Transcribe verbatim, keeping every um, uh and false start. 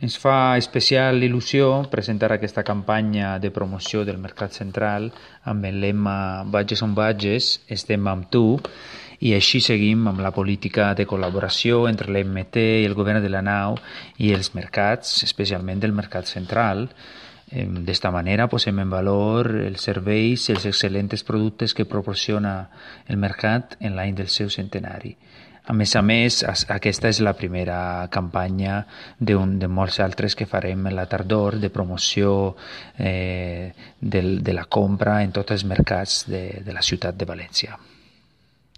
Ens fa especial il·lusió presentar aquesta campanya de promoció del Mercat Central amb el lema Bages on Bages, estem amb tu, i així seguim amb la política de col·laboració entre l'M T i el govern de la nau i els mercats, especialment del Mercat Central. D'esta manera posem en valor els serveis i els excel·lents productes que proporciona el mercat en l'any del seu centenari. A més a més, aquesta és la primera campanya de, un, de molts altres que farem a la tardor de promoció eh, del, de la compra en tots els mercats de, de la ciutat de València.